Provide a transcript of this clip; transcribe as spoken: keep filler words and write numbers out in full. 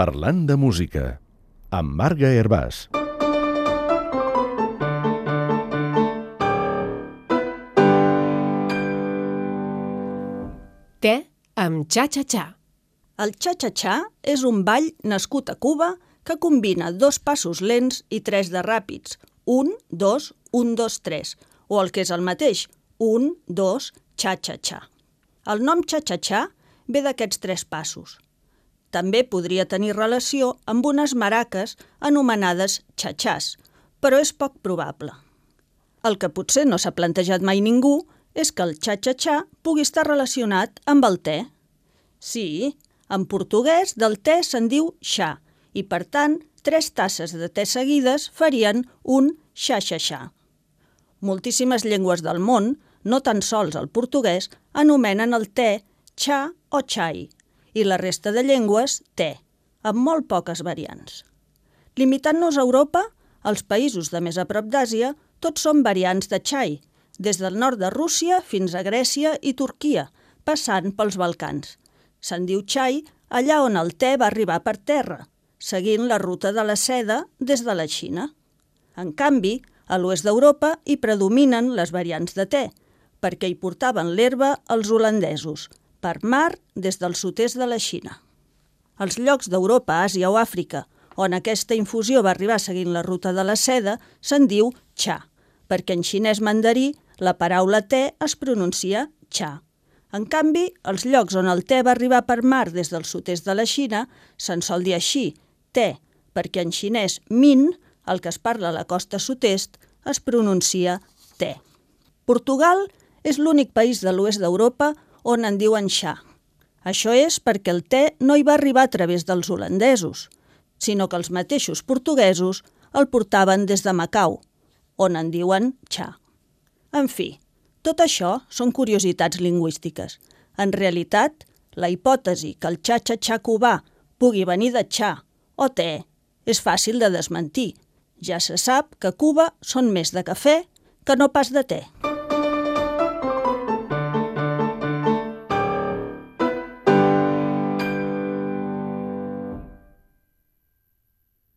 Parlant de música, amb Marga Hervàs. Te amb xa-xa-xa. El xa-xa-xa és un ball nascut a Cuba que combina dos passos lents i tres de ràpids, un, dos, un, dos, tres, o el que és el mateix, un, dos, xa-xa-xa. El nom xa-xa-xa ve d'aquests tres passos. També podria tenir relació amb unes maraques anomenades xa-xàs, però és poc probable. El que potser no s'ha plantejat mai ningú és que el xa-xa-xa pugui estar relacionat amb el te. Sí, en portuguès del te se'n diu xa, i per tant, tres tasses de te seguides farien un xa-xa-xa. Moltíssimes llengües del món, no tan sols el portuguès, anomenen el te xa o xai, i la resta de llengües te, amb molt poques variants. Limitant-nos a Europa, els països de més a prop d'Àsia, tots són variants de xai, des del nord de Rússia fins a Grècia i Turquia, passant pels Balcans. Se'n diu xai allà on el te va arribar per terra, seguint la ruta de la seda des de la Xina. En canvi, a l'oest d'Europa hi predominen les variants de te, perquè hi portaven l'herba els holandesos, per mar des del sud-est de la Xina. Els llocs d'Europa, Àsia o Àfrica, on aquesta infusió va arribar seguint la ruta de la seda, se'n diu xa, perquè en xinès mandarí la paraula te es pronuncia xa. En canvi, els llocs on el te va arribar per mar des del sud-est de la Xina se'n sol dir així, te, perquè en xinès min, el que es parla a la costa sud-est, es pronuncia te. Portugal és l'únic país de l'oest d'Europa on en diuen xa. Això és perquè el te no hi va arribar a través dels holandesos, sinó que els mateixos portuguesos el portaven des de Macau, on en diuen xa. En fi, tot això són curiositats lingüístiques. En realitat, la hipòtesi que el xa-xa-xa cubà pugui venir de xa o te és fàcil de desmentir. Ja se sap que a Cuba són més de cafè que no pas de te.